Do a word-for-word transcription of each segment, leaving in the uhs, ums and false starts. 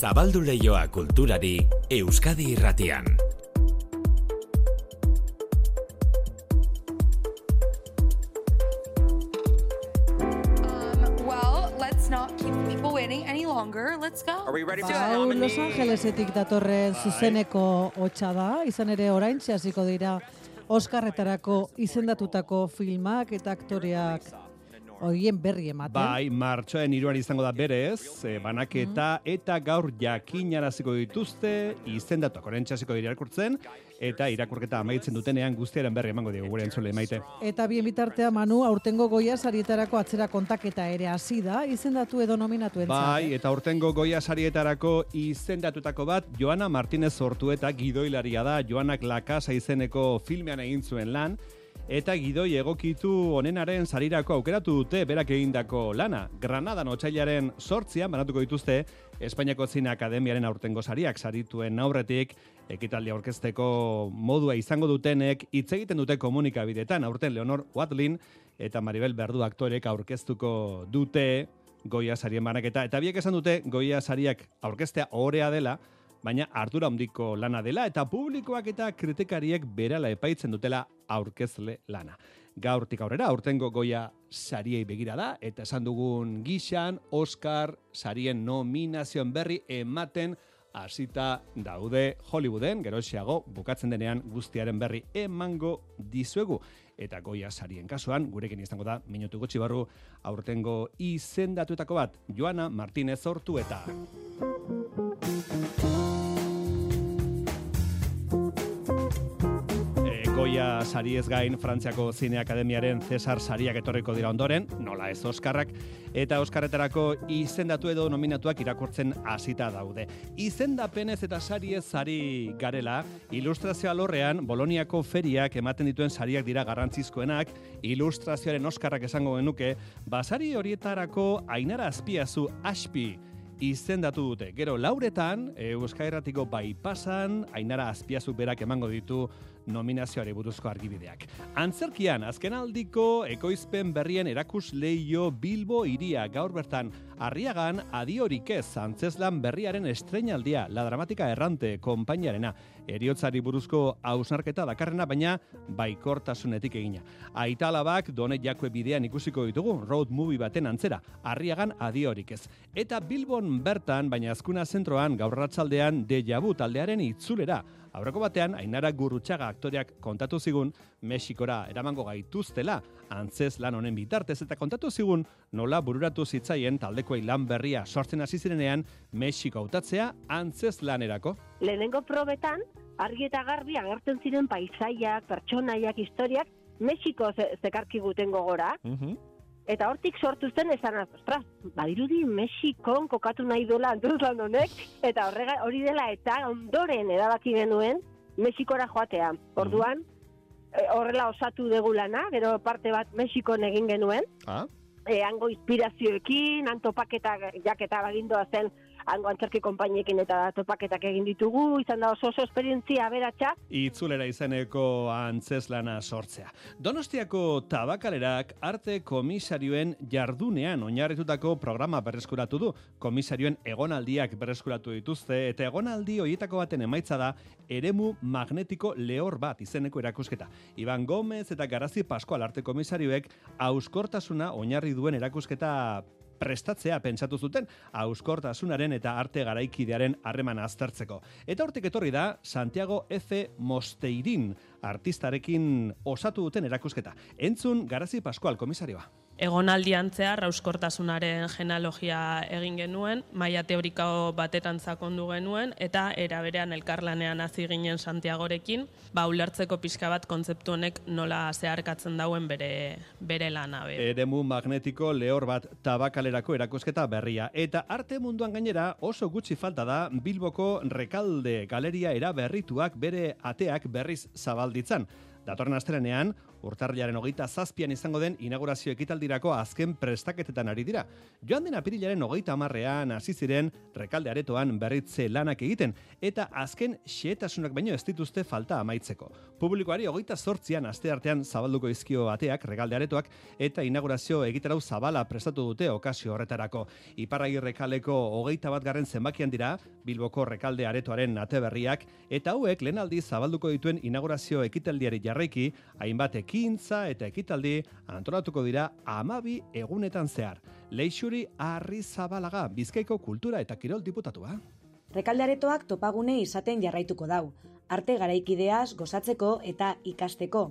Zabaldu leioa kulturari Euskadi Irratian. Um, well, let's not keep people waiting any longer. Let's go. Are we ready for Ba, hau Los Angelesetik datorren zuzeneko hotsa da, izan ere oraintxe hasiko dira Oskarretarako izendatutako filmak eta aktoreak horien berri ematen. Bai, martxoen hiruan izango da berez, e, banaketa mm. eta gaur jakinaraziko dituzte, izendatuak oraintxe hasiko dira irakurtzen, eta irakurketa amaitzen dutenean guztiaren berri emango digu gure entzule maite. Eta bien bitartea, Manu, aurtengo Goya sarietarako atzera kontaketa ere hasi da, izendatu edo nominatu entzat. Bai, eta aurtengo Goya sarietarako izendatutako bat, Joana Martínez Ortueta gidoilaria da, Joanak La Casa izeneko filmean egin zuen lan, eta gidoi egokitu onenaren sarirako aukeratu dute berak egindako lana. Granadan otsailaren sortzian banatuko dituzte Espainiako Zine Akademiaren aurtengo sariak sarituen aurretik, ekitaldia aurkezteko modua izango dutenek hitz egiten dute komunikabideetan. Aurten Leonor Watling eta Maribel Verdú aktorek aurkeztuko dute Goya sarien banaketa, eta biek esan dute Goya sariak aurkeztea ohorea dela, baina ardura handiko lana dela eta publikoak eta kritikariek berala epaitzen dutela aurkezle lana. Gaurtik aurrera, aurtengo Goya sariei begira da, eta esan dugun gixan, Oscar sarien nominazioen berri ematen hasita daude Hollywooden, geroxeago bukatzen denean guztiaren berri emango dizuegu. Eta Goya sarien kasuan, gurekin izango da, minutu gutxi barru, aurtengo izendatuetako bat, Joana Martínez Ortueta. Goya sariez gain, Frantziako Zine Akademiaren Cesar sariak etorriko dira ondoren, nola ez Oskarrak, eta Oskarretarako izendatu edo nominatuak irakurtzen hasita daude. Izendapenez eta sariez sari garela, ilustrazio alorrean Boloniako feriak ematen dituen sariak dira garrantzizkoenak, ilustrazioaren Oskarrak esango genuke, basari horietarako Ainara Azpiazu Aspi izendatu dute. Gero lauretan, Euskal Herratiko Baipasan, Ainara Azpiazu berak emango ditu nominazioari buruzko argibideak. Antzerkian, azkenaldiko ekoizpen berrien erakus leio Bilbo iria gaur bertan Arriagan adiorik ez antzeslan berriaren estreinaldia, La Dramatika Errante konpainiarena, eriotzari buruzko hausnarketa dakarrena, baina baikortasunetik egina. Aitalabak Done Jakue bidean ikusiko ditugu, road movie baten antzera, Arriagan adiorik ez. Eta Bilbon bertan, baina azkuna zentroan gaur arratsaldean Deja Vu taldearen itzulera. Aurreko batean, Ainara Gurrutxaga aktoreak kontatu zigun Mexikora eramango gaituztela antzez lan honen bitartez, eta kontatu zigun nola bururatu zitzaien taldekoei lan berria sortzen hasi zirenean Mexiko hautatzea antzez lanerako. Lehenengo probetan, argi eta garbi agertzen ziren paisaiak, pertsonaiak, historiak Mexiko ze- zekarki guten gogora. Uh-huh. Eta hortik sortu zen esan, ostras, badirudi Mexikon kokatu nahi dola antzeslan honek, eta horrega hori dela eta ondoren erabaki genuen Mexikora joatea. Orduan, e, horrela osatu dugu lana, gero parte bat Mexikon egin genuen, Ah? e, hango inspirazioekin, han topaketak jaketa bagindoa zen, hango antzerki konpainiekin eta topaketak egin ditugu, izan da oso oso esperientzia aberatsa. Itzulera izeneko antzeslana sortzea. Donostiako Tabakalerak arte komisarioen jardunean oinarritutako programa berreskuratu du. Komisarioen egonaldiak berreskuratu dituzte, eta egonaldi horietako baten emaitza da eremu magnetiko lehor bat izeneko erakusketa. Iban Gomez eta Garazi Pascual arte komisarioek hauskortasuna oinarri duen erakusketa prestatzea pentsatu zuten, hauskortasunaren eta arte garaikidearen harremana aztertzeko. Eta hortik etorri da Santiago F. Mosteirin artistarekin osatu duten erakusketa. Entzun Garazi Pascual komisarioa. Egonaldian zehar hauskortasunaren genealogia egin genuen, maila teoriko batetan sakondu genuen, eta era berean elkarlanean hasi ginen Santiagorekin, ba ulertzeko pixka bat kontzeptu honek nola zeharkatzen dauen bere bere lana. Be. Eremu magnetiko lehor bat Tabakalerako erakusketa berria. Eta arte munduan gainera oso gutxi falta da Bilboko Rekalde galeria eraberrituak bere ateak berriz zabalditzan. Datorren astelehenean, urtarrilaren hogeita zazpian izango den inaugurazio ekitaldirako azken prestaketetan ari dira. Joan den apirilaren hogeita hamarrean hasi ziren Rekalde aretoan berritze lanak egiten, eta azken xehetasunak baino ez dituzte falta amaitzeko. Publikoari hogeita zortzian asteartean zabalduko izkio bateak, Rekalde aretoak, eta inaugurazio egitarau zabala prestatu dute okazio horretarako. Iparragirre kaleko hogeita bat garren zenbakian dira, Bilboko Rekalde aretoaren ate berriak, eta hauek lehen aldiz zabalduko dituen inaugurazio ekitaldiari jarraiki, hainbat ekintza eta ekitaldi antolatuko dira hamabi egunetan zehar. Leixuri Arrizabalaga, Bizkaiko kultura eta kirol diputatua. Rekalde aretoak topagune izaten jarraituko dau, arte garaikideaz gozatzeko eta ikasteko.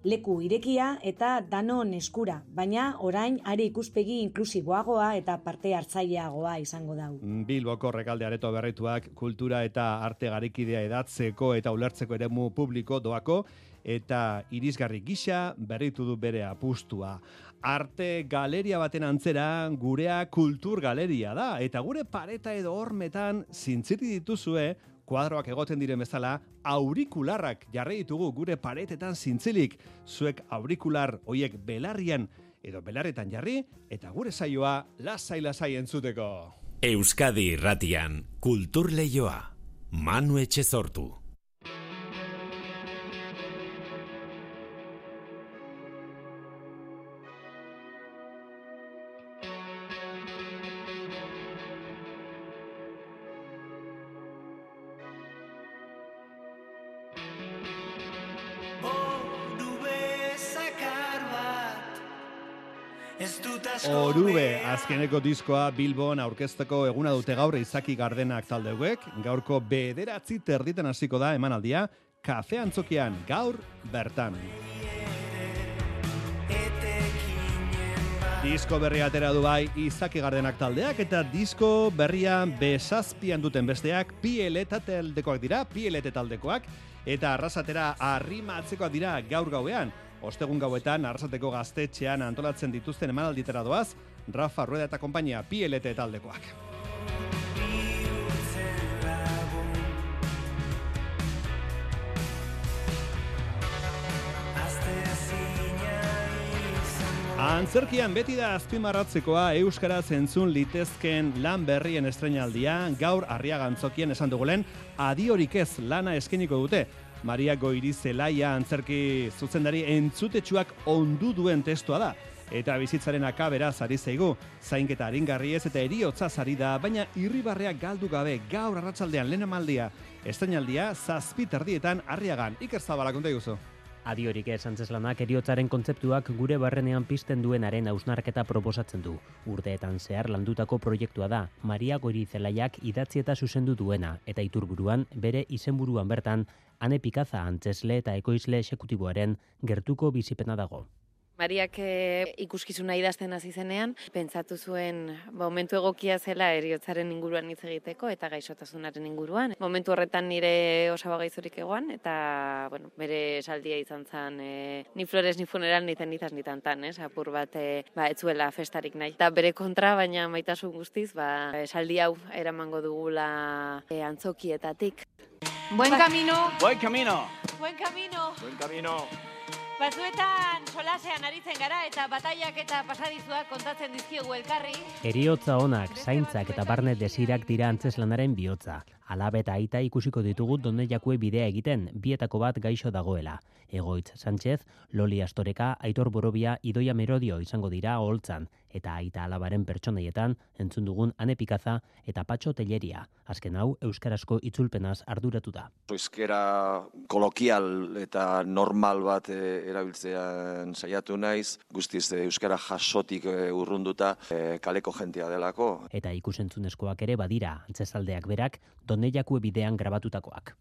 Leku irekia eta danon eskura, baina orain are ikuspegi inklusiboagoa eta parte hartzaileagoa izango dau. Bilboko Rekalde areto berrituak kultura eta arte garaikidea edatzeko eta ulertzeko eremu publiko doako, eta irisgarri gisa berritu du bere apustua. Arte galeria baten antzera gurea kultur galeria da, eta gure pareta edo hormetan zintziti dituzue, kuadroak egoten diren bezala, aurikularrak jarri ditugu gure paretetan zintzilik. Zuek aurikular hoiek belarrian edo belarretan jarri, eta gure saioa lasai-lasai entzuteko. Euskadi Irratian, Kultur Leioa, Manu Etxezortu. Orube, azkeneko diskoa Bilbon aurkezteko eguna dute gaur Izaki Gardenak taldeuek. Gaurko bederatzi terditan hasiko da emanaldia, Kafe Antzokian gaur bertan. Disko berria atera du bai Izaki Gardenak taldeak, eta disko berria bezazpian duten besteak Pieleta taldekoak dira, Pielete taldekoak, eta arrasatera arrimatzekoak dira gaur gauean. Ostegun gauetan, Arrasateko gaztetxean antolatzen dituzten emanalditera doaz, Rafa Rueda eta konpainia Pielete taldekoak. Antzerkian beti da azpimarratzekoa euskaraz entzun litezken lan berrien estreinaldia, gaur Arriaga Antzokien esan dugulen, adiorik ez lana eskeniko dute. Maria Goirizelaia antzerki zuzendari entzutetsuak ondu duen testua da. Eta bizitzaren akaberaz ari zaigu, zainketa aringarriez eta eriotza ari da, baina irribarreak galdu gabe gaur arratsaldean lehen amaldia. Estreinaldia zazpi terdietan Arriagan. Iker Zabala, konta iguzu. Adiorik ez antzeslanak eriotzaren kontzeptuak gure barrenean pizten duenaren hausnarketa proposatzen du. Urteetan zehar landutako proiektua da, Maria Goirizelaiak idatzi eta zuzendu duena, eta iturburuan bere izenburuan bertan, Ane Pikaza antzesle eta ekoizle exekutiboaren gertuko bizipena dago. Mariak e, ikuskizuna idazten hasi zenean, pentsatu zuen momentu egokia zela heriotzaren inguruan hitz egiteko eta gaixotasunaren inguruan. Momentu horretan nire osaba gaizorik egoan, eta bueno, bere esaldia izan zen e, ni flores ni funeral ni cenizas ni tantan, ez? Apur bat e, ba, etzuela festarik nahi. Eta bere kontra, baina maitasun guztiz, ba, esaldi hau eramango dugula e, antzokietatik. Buen camino. Buen camino. Buen camino. Buen camino. Batzuetan solasean aritzen gara eta bataiak eta pasadizuak kontatzen dizkiegu elkarri. Eriotza onak, zaintzak eta barne desirak dira antzeslanaren bihotza. Alabe eta aita ikusiko ditugu Doneiakue bidea egiten, bietako bat gaixo dagoela. Egoitz Sánchez, Loli Astoreka, Aitor Borobia, Idoia Merodio izango dira holtzan, eta aita alabaren pertsonaietan entzun dugun Ane Pikaza eta Patxo Telleria. Azken hau, euskarazko itzulpenaz arduratu da. Euskara kolokial eta normal bat e, erabiltzean saiatu naiz, guztiz e, euskara jasotik e, urrunduta e, kaleko jentia delako. Eta ikusentzunezkoak ere badira, antzezaldeak berak, Doneiakue bidean grabatutakoak.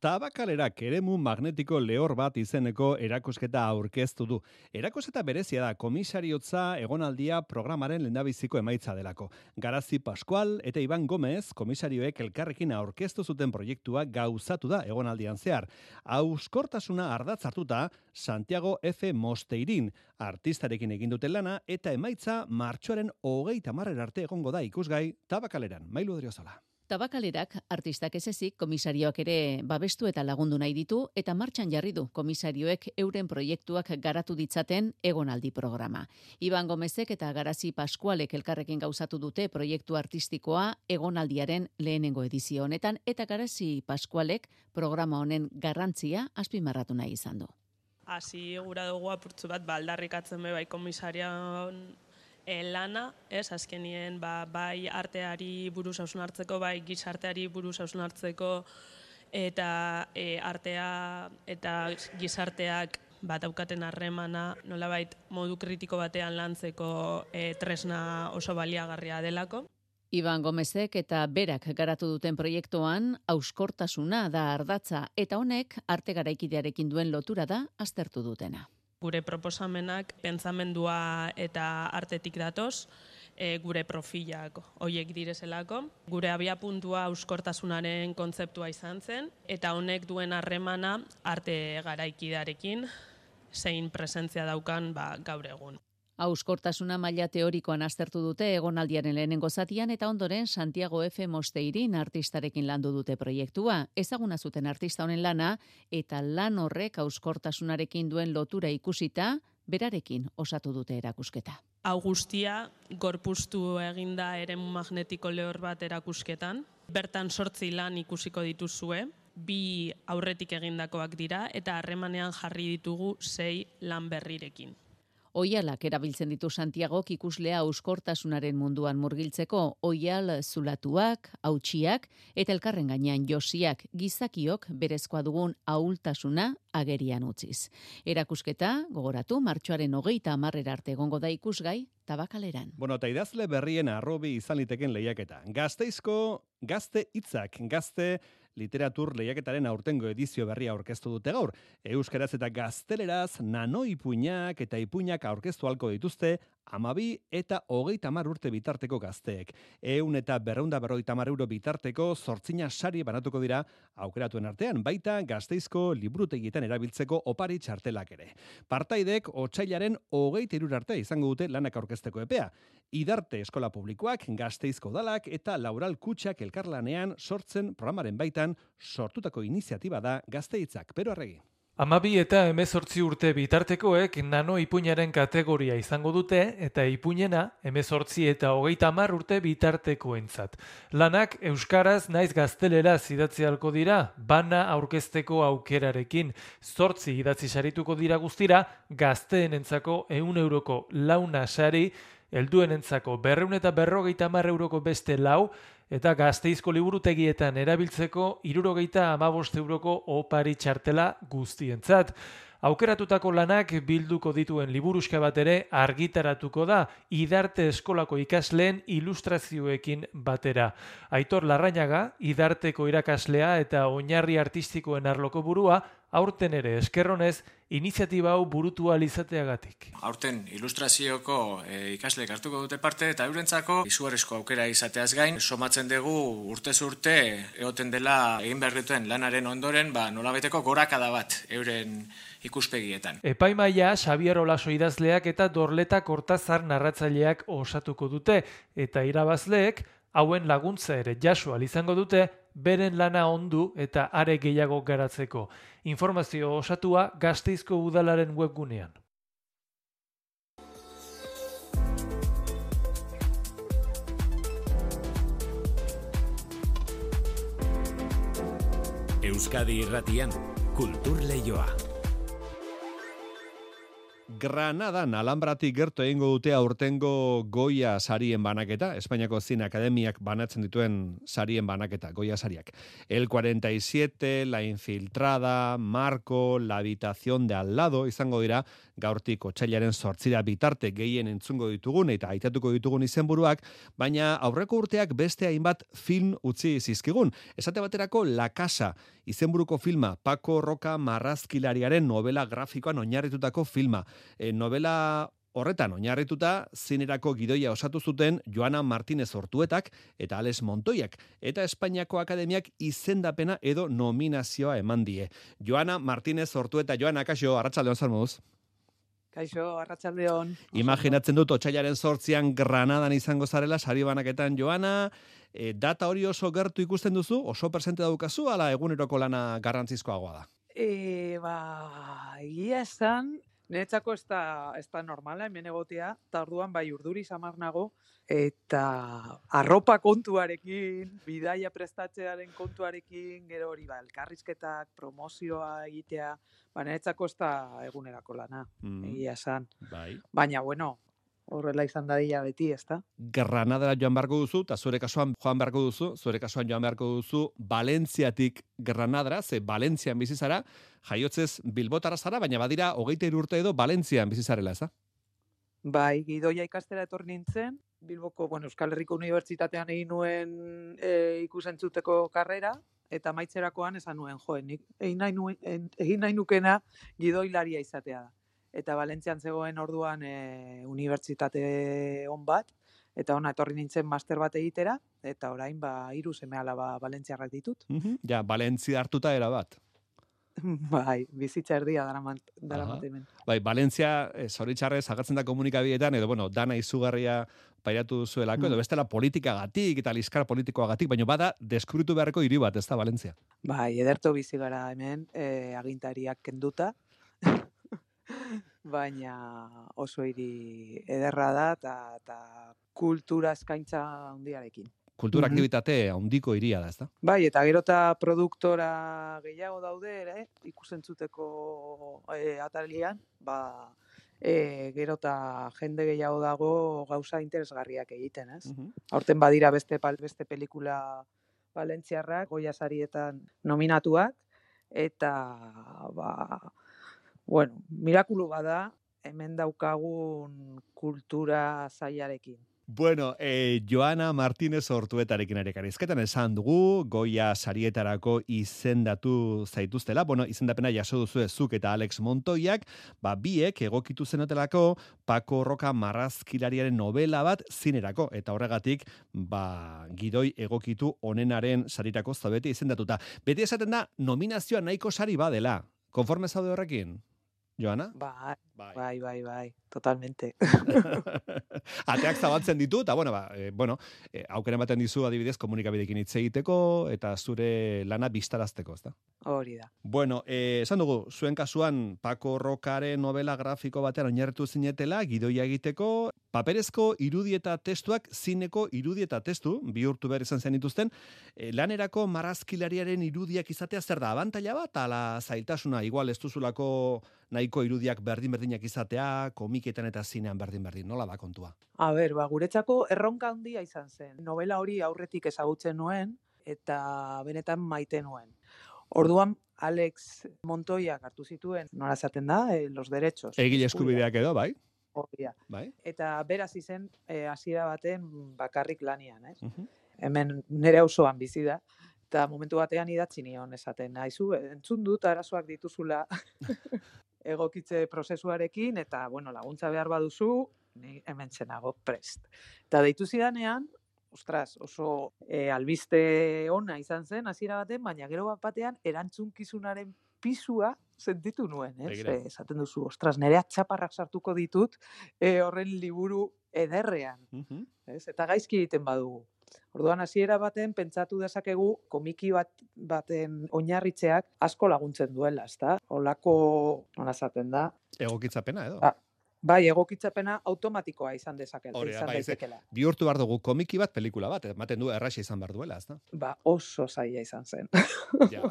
Tabakalerak eremu magnetiko lehor bat izeneko erakusketa aurkeztu du. Erakusketa berezia da komisariotza egonaldia programaren lehendabiziko emaitza delako. Garazi Pascual eta Iban Gomez komisarioek elkarrekin aurkeztu zuten proiektua gauzatu da egonaldian zehar. Hauskortasuna ardatz hartuta Santiago F. Mosteirin artistarekin egin duten lana eta emaitza martxoaren hogeita hamarera arte egongo da ikusgai Tabakaleran. Mailu Odriozola. Tabakalerak artistak ez ezik komisarioak ere babestu eta lagundu nahi ditu eta martxan jarri du komisarioek euren proiektuak garatu ditzaten egonaldi programa. Iban Gomezek eta Garazi Paskualek elkarrekin gauzatu dute proiektu artistikoa egonaldiaren lehenengo edizio honetan eta Garazi Paskualek programa honen garrantzia azpimarratu nahi izan du. Hasi gura dugu apurtzu bat baldarrikatzen be bai komisarian E, lana, ez, azkenien ba, bai arteari buruz hausnartzeko, bai gizarteari buruz hausnartzeko eta e, artea eta gizarteak bat daukaten harremana nolabait modu kritiko batean lantzeko e, tresna oso baliagarria delako. Iban Gomezek eta berak garatu duten proiektuan hauskortasuna da ardatza eta honek arte garaikidearekin duen lotura da aztertu dutena. Gure proposamenak pentsamendua eta artetik datoz, e, gure profilak hoiek direzelako. Gure abiapuntua hauskortasunaren kontzeptua izan zen, eta honek duen harremana arte garaikidearekin, zein presentzia daukan ba, gaur egun. Hauskortasuna maila teorikoan aztertu dute egonaldiaren lehenengo zatian eta ondoren Santiago F. Mosteirin artistarekin landu dute proiektua. Ezaguna zuten artista honen lana eta lan horrek hauskortasunarekin duen lotura ikusita, berarekin osatu dute erakusketa. Hau guztia gorpuztu eginda eremu magnetiko lehor bat erakusketan. Bertan sortzi lan ikusiko dituzue, bi aurretik egindakoak dira eta harremanean jarri ditugu sei lan berrirekin. Oialak erabiltzen ditu Santiagok ikuslea hauskortasunaren munduan murgiltzeko, oial zulatuak, hautsiak eta elkarren gainean josiak gizakiok berezkoa dugun ahultasuna agerian utziz. Erakusketa, gogoratu, martxoaren hogeita hamarrera arte egongo da ikusgai Tabakaleran. Bueno, eta idazle berrien arrobi izan liteken lehiaketa. Gazteizko gazte hitzak, gazte literatur lehiaketaren aurtengo edizio berria aurkeztu dute gaur. Euskaraz eta gazteleraz nano ipuinak eta ipuinak aurkeztu halko dituzte amabi eta hogeita hamar urte bitarteko gazteek. Ehun eta berreunda berrogeita hamar euro bitarteko zortzina sari banatuko dira aukeratuen artean, baita Gazteizko liburutegietan erabiltzeko opari txartelak ere. Partaidek otsailaren hogeita hiru arte izango dute lanak aurkezteko epea. Idarte eskola publikoak, Gazteizko udalak eta Laural Kutxak elkarlanean sortzen programaren baitan sortutako iniziatiba da Gazteitzak. Pero Arregi. Amabi eta hemezortzi urte bitartekoek nano ipuinaren kategoria izango dute eta ipuinena hemezortzi eta hogeita hamar urte bitartekoentzat. Lanak euskaraz naiz gazteleraz idatzi ahalko dira, bana aurkezteko aukerarekin. Zortzi idatzi sarituko dira guztira, gazteenentzako ehun euroko launa sari, helduenentzako berrehun eta berrogeita hamar euroko beste lau, eta Gazteizko liburutegietan erabiltzeko hirurogeita hamabost euroko opari txartela guztientzat. Aukeratutako lanak bilduko dituen liburuska bat ere argitaratuko da, Idarte eskolako ikasleen ilustrazioekin batera. Aitor Larrañaga, Idarteko irakaslea eta oinarri artistikoen arloko burua, aurten ere eskerronez, iniziatiba hau burutu ahal izateagatik. Aurten ilustrazioko e, ikasleek hartuko dute parte eta eurentzako izugarrizko aukera izateaz gain, somatzen dugu urtez urte egoten dela egin behar duten lanaren ondoren, ba, nolabaiteko gorakada bat euren ikuspegietan. Epaimaia Xabier Olaso idazleak eta Dorleta Kortazar narratzaileak osatuko dute eta irabazleek hauen laguntza ere jaso ahal izango dute beren lana ondu eta are gehiago garatzeko. Informazio osatua Gasteizko udalaren webgunean. Euskadi Irratian, Kultur Leioa. Granadan Alhambratik gertu egingo dute aurtengo Goya sarien banaketa, Espainiako Zine Akademiak banatzen dituen sarien banaketa, Goya sariak. El cuarenta y siete, La Infiltrada, Marco, La Habitación de al lado izango dira gaurtik otsailaren zortzira bitarte gehien entzungo ditugun eta aitatuko ditugun izenburuak, baina aurreko urteak beste hainbat film utzi zizkigun. Esate baterako La Casa, izenburuko filma, Paco Roca marrazkilariaren novela grafikoan oinarritutako filma. E, novela horretan oinarrituta zinerako gidoia osatu zuten Joana Martínez Ortuetak eta Alex Montoiak, eta Espainiako Akademiak izendapena edo nominazioa eman die. Joana Martínez Ortueta, Joana, kaixo, arratsaldeon zer moduz? Kaixo, arratsaldeon. Imaginatzen dut, otsailaren zortzian Granadan izango zarela, sari banaketan Joana, e, data hori oso gertu ikusten duzu, oso presente daukazu, ala eguneroko lana garrantzizkoagoa da? E, ba, egia esan, niretzako ez da, ez da normala, hemen egotea, eta orduan bai urduri samar nago, eta arropa kontuarekin, bidaia prestatzearen kontuarekin, gero hori ba, elkarrizketak, promozioa egitea, ba, niretzako ez da egunerako lana, mm. egia esan. Bai. Baina, bueno, horrela izan dadila beti, ez da? Granadara joan beharko duzu, eta zure kasuan joan beharko duzu, zure kasuan joan beharko duzu, Valentziatik Granadara, ze Valentzian bizizara, jaiotzez Bilbotara zara, baina badira hogeita hiru urte edo Valentzian bizizarela, ez da? Bai, gidoia ikastera etorri nintzen, Bilboko, bueno, Euskal Herriko Unibertsitatean egin nuen e, ikusentzuteko karrera, eta maitzerakoan esan nuen, jo, nik egin nahi, nuen, egin nahi nukena gidoilaria izatea da. Eta Valentzian zegoen orduan e, unibertsitate on bat, eta ona etorri nintzen master bat egitera, eta orain ba hiru seme alaba valentziarrak ditut. Mm-hmm. Ja, Valentzia hartuta era bat. Bai, bizitza erdia daramat hemen. Bai, Valentzia, e, zoritxarrez, agertzen da komunikabideetan, edo, bueno, dana izugarria pairatu duzuelako, mm. edo bestela politikagatik eta liskar politikoagatik, baina bada deskubritu beharreko hiri bat, ez da, Valentzia? Bai, ederto bizi gara hemen, e, agintariak kenduta, baina oso hiri ederra da eta kultura eskaintza handiarekin. Kultura aktivitate handiko hiria da, ezta? Bai, eta gero eta produktora gehiago daude ere, ikusentzuteko e, atalian, ba, e, gero eta jende gehiago dago gauza interesgarriak egiten, ez? Uh-huh. Aurten badira beste beste pelikula valentziarrak, Goya sarietan nominatuak, eta ba, bueno, mirakulu bada, hemen daukagun kultura zailarekin. Bueno, eh, Joana Martínez Ortuetarekin arekarizketan esan dugu, Goya sarietarako izendatu zaituztela, bueno, izendapena jaso duzu zuk eta Alex Montoiak, ba, biek egokitu zenotelako Paco Roca marrazkilariaren novela bat zinerako, eta horregatik, ba, gidoi egokitu onenaren sarirako zaudete izendatuta. Beti esaten da, nominazioa nahiko sari badela. Konforme zaude horrekin? Joana? Bai, bai, bai, bai, totalmente. Ateak zabaltzen ditu, eta bueno, ba, e, bueno, e, aukera ematen dizu adibidez komunikabidekin hitz egiteko eta zure lana bistarazteko, ezta? Hori da. Bueno, e, esan dugu, zuen kasuan Paco Rocaren novela grafiko batean oinarritu zinetela, gidoia egiteko, paperezko irudi eta testuak zineko irudi eta testu, bihurtu behar izan zen dituzten, e, lanerako marrazkilariaren irudiak izatea zer da, abantaila bat, ala zailtasuna, igual ez duzulako nahiko irudiak berdin-berdinak izatea, komiketan eta zinean berdin-berdin, nola da kontua? A ber, ba, guretzako erronka handia izan zen. Novela hori aurretik ezagutzen nuen, eta benetan maite nuen. Orduan, Alex Montoiak hartu zituen, nola esaten da, e, los derechos. Egile eskubideak edo, bai? Hori da. Bai? Eta beraz izen, e, hasiera baten bakarrik lanian, ez? Uh-huh. Hemen nire auzoan bizi da, eta momentu batean idatzi nion esaten, haizu, entzun dut arazoak dituzula egokitze prozesuarekin, eta, bueno, laguntza behar baduzu, ni hemen txenago prest. Eta deitu zidanean, ostras, oso e, albiste ona izan zen, hasiera baten, baina gero bat batean, erantzunkizunaren pisua sentitu nuen, ez? E, esaten duzu, ostras, nire atxaparrak sartuko ditut, e, horren liburu ederrean, uh-huh. ez? Eta gaizki egiten badugu. Orduan hasiera baten pentsatu dezakegu komiki bat baten oinarritzeak asko laguntzen duela, ezta? Holako, nola esaten da? Egokitzapena edo. Ba, bai, egokitzapena automatikoa izan dezakela, Hore, izan bai, daitekela. Bihurtu behar dugu komiki bat pelikula bat, ematen du erraxa izan behar duela, ezta? Ba, oso zaila izan zen. Ja.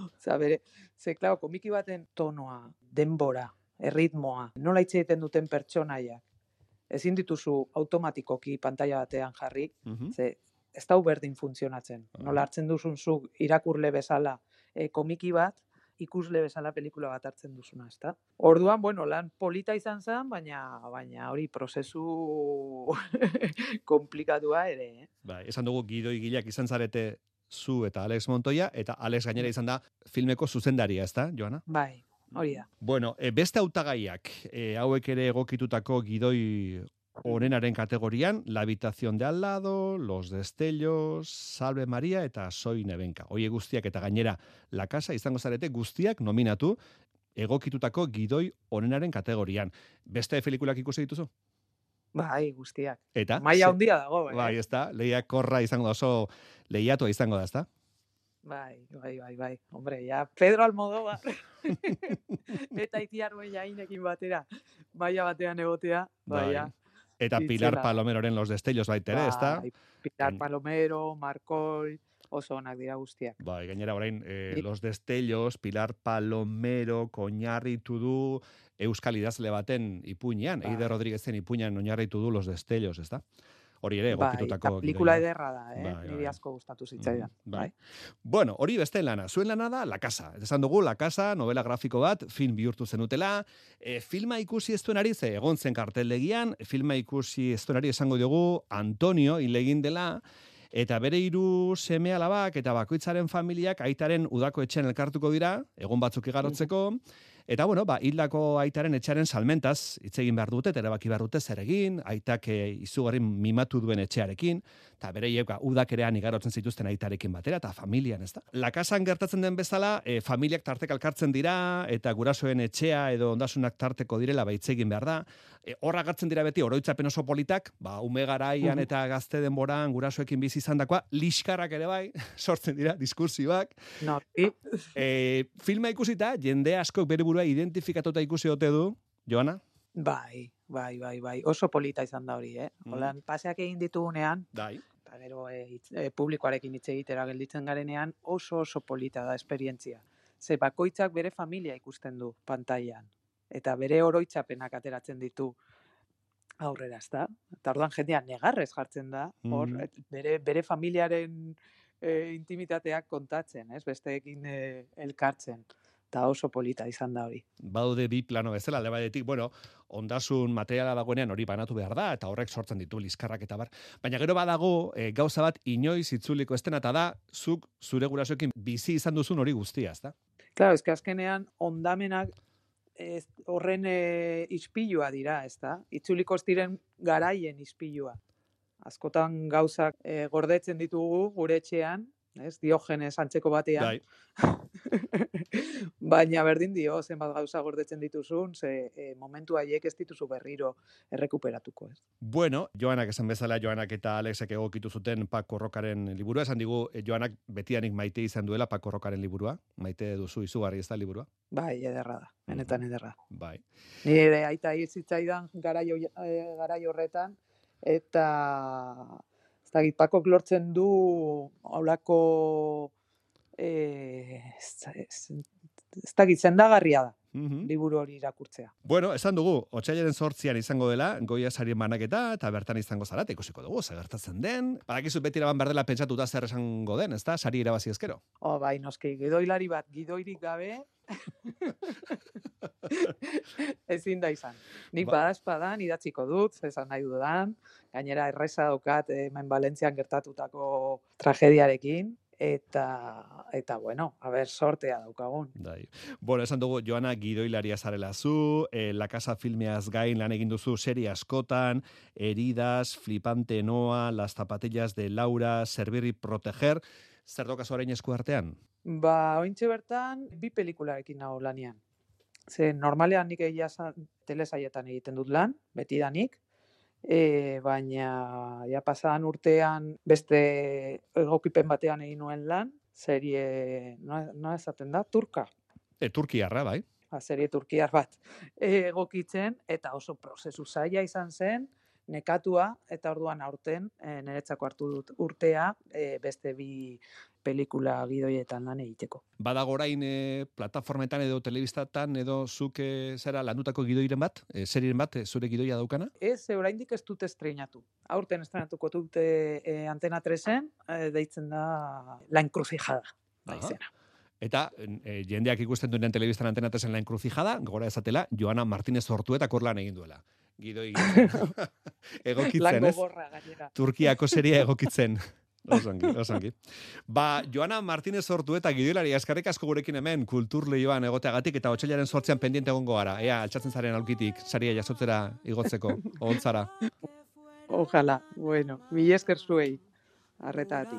Osea, bere, ze claro, komiki baten tonoa, denbora, erritmoa, nola hitz egiten duten pertsonaiak. Ezin dituzu automatikoki pantaila batean jarri, uh-huh. ze ez da berdin funtzionatzen. Uh-huh. Nola hartzen duzun zuk irakurle bezala e, komiki bat, ikusle bezala pelikula bat hartzen duzuna, ezta? Orduan, bueno, lan polita izan zen, baina baina hori prozesu komplikatua ere, eh? Bai, esan dugu gidoi gileak izan zarete zu eta Alex Montoya, eta Alex gainera izan da filmeko zuzendaria, ezta, Joana? Bai. Hori da. Bueno, e, beste hautagaiak, e, hauek ere egokitutako gidoi onenaren kategorian, La habitación de al lado, Los destellos, Salve María eta Soy Nevenka. Hoie guztiak eta gainera La casa izango zarete guztiak nominatu, egokitutako gidoi onenaren kategorian. Beste pelikulak ikusi dituzu? Bai, guztiak. Eta? Maila handia dago, eh? Bai, ez da, lehiak korra izango da, oso lehiatua izango da, ez da? Bai, bai, bai, bai. Hombre, ja, Pedro Almodóvar eta Itiar Bollainekin batera, maila batean egotea, bai, ja. Eta Pilar Palomeroren Los Destellos baitere, ez da? Bai, Pilar Palomero, Markoi, oso onak dira guztiak. Bai, gainera orain, eh, Los Destellos, Pilar Palomero, oinarritu du euskal idazle baten ipuinean, Eide Rodríguezen ipuinean oinarritu du Los Destellos, ez da? Hori ere, egokitutako bai, pelikula ederra da, eh? Bai, niri asko gustatu zitzaidan. Mm, bai. Bueno, hori beste lana. Zuen lana da La Casa. Esan dugu, La Casa, novela grafiko bat, film bihurtu zenutela. E, filma ikusi ez duenari, ze egon zen karteldegian, filma ikusi ez duenari esango dugu Antonio hilegin dela, eta bere hiru seme alabak eta bakoitzaren familiak aitaren udako etxean elkartuko dira, egun batzuk igarotzeko. Eta, bueno, ba, hildako aitaren etxearen salmentaz hitz egin behar dute, erabaki behar dute zer egin, aitak izugarri mimatu duen etxearekin, eta bere hieka udakerean igarotzen zituzten aitarekin batera, eta familian, ez da? La Casan gertatzen den bezala, e, familiak tartek alkartzen dira, eta gurasoen etxea edo ondasunak tarteko direla ba hitz egin behar da. E, horra gartzen dira beti oroitzapen oso politak, ba, ume garaian eta gazte denboran gurasoekin bizi izandakoa, liskarrak ere bai, sortzen dira, diskursioak. No, e, filma ikusita, jende askok bere burua identifikatuta ikusi ote du, Joana? Bai, bai, bai, bai. Oso polita izan da hori, eh? Holan, mm. paseak egin ditugunean, bai. Eta gero e, e, publikoarekin hitz egitera gelditzen garenean, oso oso polita da esperientzia. Ze bakoitzak bere familia ikusten du pantailan. Eta bere oroitzapenak ateratzen ditu aurrera, ezta? Eta orduan jendea negarrez jartzen da, hor, mm. bere, bere familiaren e, intimitateak kontatzen, ez? Besteekin e, elkartzen. Eta oso polita izan da hori. Baude bi plano bezala, alde batetik, bueno, ondasun materiala dagoenean hori banatu behar da, eta horrek sortzen ditu liskarrak eta bar. Baina gero badago, e, gauza bat inoiz itzuliko estena, eta da, zuk zure gurasoekin bizi izan duzun hori guztia, ezta? Claro, eske azkenean ondamenak ez, horren e, ispilua dira, ezta? Itzuliko ez diren garaien ispilua. Askotan gauzak e, gordetzen ditugu gure etxean, ez? Diogenes antzeko batean. Bai. Baina berdin dio, zenbat gauza gordetzen dituzun, ze e, momentu haiek ez dituzu berriro errekuperatuko, ez? Bueno, Joanak esan bezala, Joanak eta Alexek egokitu zuten Paco Rocaren liburua, esan digu, Joanak betianik maite izan duela Paco Rocaren liburua, maite duzu izugarri ez da liburua? Bai, ederra da, benetan ederra. Bai. Nire aita hizitzaidan garaio, e, garaio horretan, eta ez dakit, Pakok lortzen du haulako eh, ez dakit, zendagarria da. Mm-hmm. Liburu hori irakurtzea. Bueno, esan dugu, otsailaren zortzian izango dela, Goya sarien banaketa, eta bertan izango zara, eta ikusiko dugu, zer gertatzen den. Badakizu beti eraban berdela pentsatuta zer esango den, ez da? Sari irabazi ezkero. Oh, bai, noski, gidoilari bat, gidoirik gabe, ezin da izan. Nik ba. badazpadan idatziko dut, esan nahi dudan, gainera erreza daukat hemen Valentzian gertatutako tragediarekin, Eta, eta bueno, a ber, sortea daukagun. Dai. Bueno, esan dugu, Joana, gidoilaria zarela zu, eh, La Casa filmeaz gain lan egin duzu serie askotan, Heridas, Flipante Noa, Las zapatillas de Laura, Servir y Proteger, zer dokazu orain esku artean? Ba, ointxe bertan, bi pelikularekin nago lanian. Ze, normalean nik egia telesaietan egiten dut lan, beti danik, E, baina ja pasadan urtean beste egokipen batean egin nuen lan, serie, noa no esaten da, turka. E, Turkiarra, bai. Ba, serie turkiar bat e, egokitzen, eta oso prozesu zaila izan zen, nekatua, eta orduan aurten, e, niretzako hartu dut urtea, e, beste bi pelikula gidoietan lan egiteko. Badago orain e, plataformetan edo telebistatan edo zuk e, zera landutako gidoiren bat, e, serien bat, e, zure gidoia daukana? Ez, oraindik ez dute estreinatu. Aurten estrenatuko dute e, Antena tresen, e, deitzen da La Encrucijada, da izena. Eta e, jendeak ikusten duen telebistan Antena tresen La Encrucijada, gora ezatela, Joana Martínez Ortuetak lan egin duela. Gidoi egokitzen, ez? Gorra, Turkiako seria egokitzen. Osongi, osongi. Ba, Joana Martínez Ortueta gidoilari eskerrik asko gurekin hemen kulturleioan egoteagatik eta otsailaren zortzian pendiente egongo gara. Ea, altxatzen zaren aulkitik, saria jasotzera igotzeko, oholtzara. Ojalá, bueno, mi esker zuei. arretatik.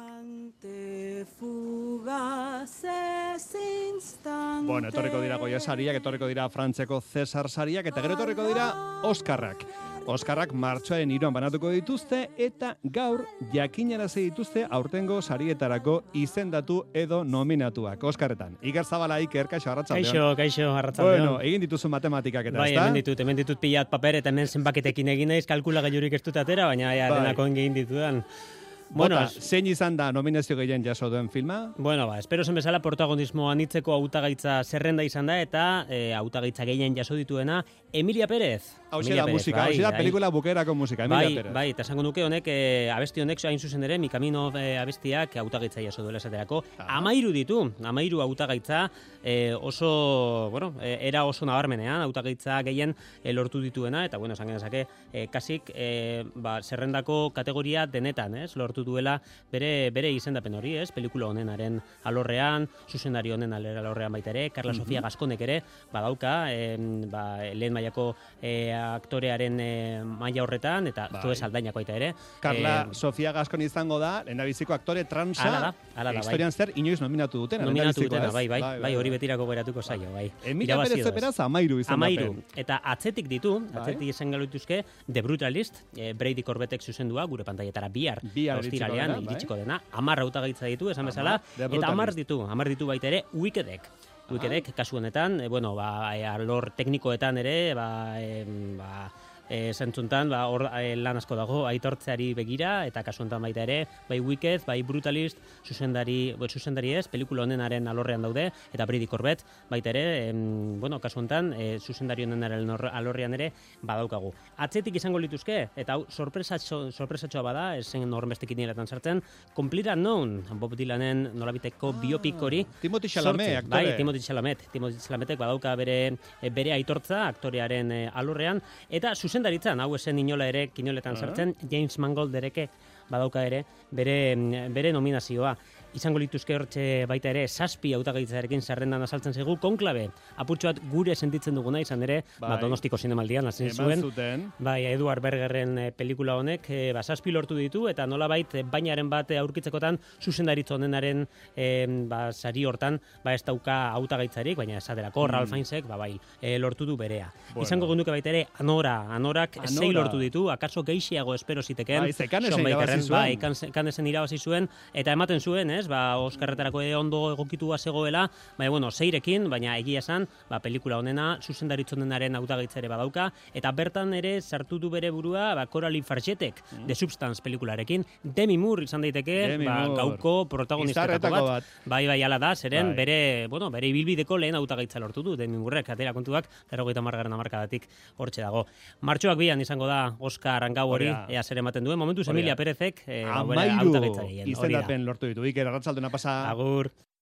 Bueno, etorriko dira Goya sariak, etorriko dira Frantzeko Cesar sariak, eta gero etorriko dira Oskarrak. Oskarrak martxoaren hiruan banatuko dituzte, eta gaur jakinarazi dituzte aurtengo sarietarako izendatu edo nominatuak. Oskarretan. Iker Zabala, Iker, kaixo, arratsaldeon. Kaixo, kaixo, arratsaldeon. Bueno, egin dituzu matematikak eta, bai, ezta? Bai, hemen ditut, hemen ditut pilat paper, eta hemen zenbaketekin egin naiz, kalkulagailurik ez dut atera, baina ja, bai. denako egin ditudan. Bueno, Bota, zein izan da nominazio gehien jaso duen filma? Bueno, ba, espero zen bezala protagonismo anitzeko hautagaitza zerrenda izan da, eta e, hautagaitza gehien jaso dituena Emilia Pérez. Hau da musika, hau da pelikula bukerako musika, Emilia bai, Pérez. Bai, eta esango nuke honek, e, abesti honek hain zuzen ere, Mi Camino e, abestiak hautagaitza jaso duela esaterako. Ah. Amairu ditu, amairu hautagaitza e, oso, bueno, e, era oso nabarmenean, hautagaitza gehien e, lortu dituena, eta bueno, esan genezake, e, kasik e, ba, zerrendako kategoria denetan, ez, lortu duela bere bere izendapen hori, ez? Pelikula honenaren alorrean, zuzendari honen alorrean baita ere, Carla Sofia Gaskonek ere badauka, e, ba, lehen mailako e, aktorearen e, maila horretan, eta bai. Zoe Saldainako baita ere. Carla e, Sofia Gaskon izango da, lehendabiziko aktore transa, ala da, ala da, historian bai. Zer inoiz nominatu dutena. Nominatu dutena, bai, bai, bai, bai, hori betirako geratuko zaio, bai. Emilia Pérez beraz, amairu izan amairu. Eta atzetik ditu, atzetik izan galutuzke, The Brutalist, e, Brady Corbetek zuzendua, gure pantaietara bihar, ostiralean, iritsiko dena, hamar hautagaitza ditu, esan bezala, eta hamar ditu, hamar ditu baita ere, Wickedek. Wickedek, kasu honetan, e, bueno, ba, e, alor teknikoetan ere, ba, e, ba, e, zentzuntan, ba, hor e, lan asko dago, aitortzeari begira, eta kasu honetan baita ere, bai Wicked, bai Brutalist, zuzendari, bo, zuzendari ez, pelikula honenaren alorrean daude, eta Brady Corbett, baita ere, em, bueno, kasu honetan, e, zuzendari honenaren alorrean ere, badaukagu. Atzetik izango lituzke, eta hau, sorpresatxo, sorpresatxoa bada, esen horrenbestek iniletan sartzen, Complete Unknown, Bob Dylanen nolabiteko ah, biopik hori. Timothy Chalamet, aktore. Bai, Timothy Chalamet. Timothy Chalametek badauka bere, bere aitortza, aktorearen e, alorrean, eta zuzendaritzan, hau esen inola ere, kinoletan sartzen, James Mangold dereke badauka ere, bere, bere nominazioa. Izango lituzke hortxe baita ere, zazpi hautagaitzarekin zerrendan azaltzen zaigu, konklabe, apurtxo bat gure sentitzen duguna izan ere, bai. Ba, Donostiko zinemaldian, azin zuen, zuten. Bai, Eduard Bergerren e, pelikula honek, e, ba, zazpi lortu ditu, eta nolabait e, bainaren bat aurkitzekotan, zuzendaritza honenaren e, ba, sari hortan, ba, ez dauka hautagaitzarik, baina esaterako, mm. Ralph Fiennesek, ba, bai, e, lortu du berea. Bueno. Izango genuke baita ere, Anora, Anorak Anora. Sei lortu ditu, akaso geixiago espero ziteken, bai, kanesen irabazi zuen. Bai, kanesen irabazi zuen, eta ematen zuen, ez, ba, Oskarretarako ondo egokitua zegoela, baina, bueno, seirekin, baina egia esan, ba, pelikula honena, zuzendaritza honenaren hautagaitza ere badauka, eta bertan ere sartu du bere burua, ba, Coralie Fargetek, mm. The Substance pelikularekin, Demi Moore izan daiteke, Demi ba, Moore. gauko protagonistetako bat. bat. Bai, bai, ala da, zeren, bai. bere, bueno, bere ibilbideko lehen hautagaitza lortu du, Demi Moorek, atera kontuak, berrogeita hamargarren hamarkadatik hortxe dago. Martxoak bian izango da Oskar gau hori, ea zer ematen duen, momentuz Emilia Perezek, e, amairu hautagaitza gehien. izendapen lortu ditu. Iker, arratsaldena pasa. Agur.